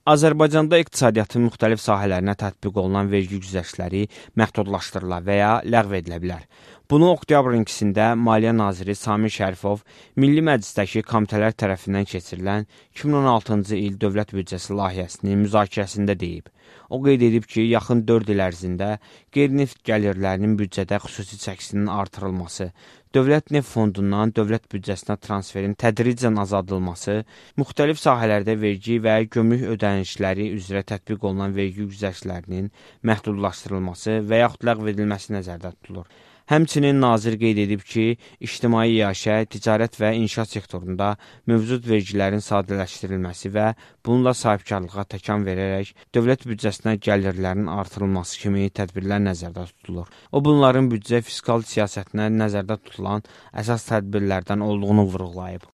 Azərbaycanda iqtisadiyyatın müxtəlif sahələrinə tətbiq olunan vergi güzəştləri məhdudlaşdırıla və ya ləğv edilə bilər. Bunu oktyabrın 2-də Maliyyə Naziri Samir Şərifov Milli Məclisdəki komitələr tərəfindən keçirilən 2016-cı il dövlət büdcəsi layihəsinin müzakirəsində deyib. O qeyd edib ki, yaxın 4 il ərzində qeyri-neft gəlirlərinin büdcədə xüsusi çəkisinin artırılması, dövlət neft fondundan dövlət büdcəsinə transferin tədricən azaldılması, müxtəlif sahələrdə vergi və gömrük ödənişləri üzrə tətbiq olunan vergi güzəştlərinin məhdudlaşdırılması və yaxud ləğv edilməsi nəzərdə tutulur. Həmçinin nazir qeyd edib ki, ictimai iaşə, ticarət və inşaat sektorunda mövcud vergilərin sadələşdirilməsi və bununla sahibkarlığa təkan verərək dövlət büdcəsinə gəlirlərin artırılması kimi tədbirlər nəzərdə tutulur. O, bunların büdcə fiskal siyasətinə nəzərdə tutulan əsas tədbirlərdən olduğunu vurğulayıb.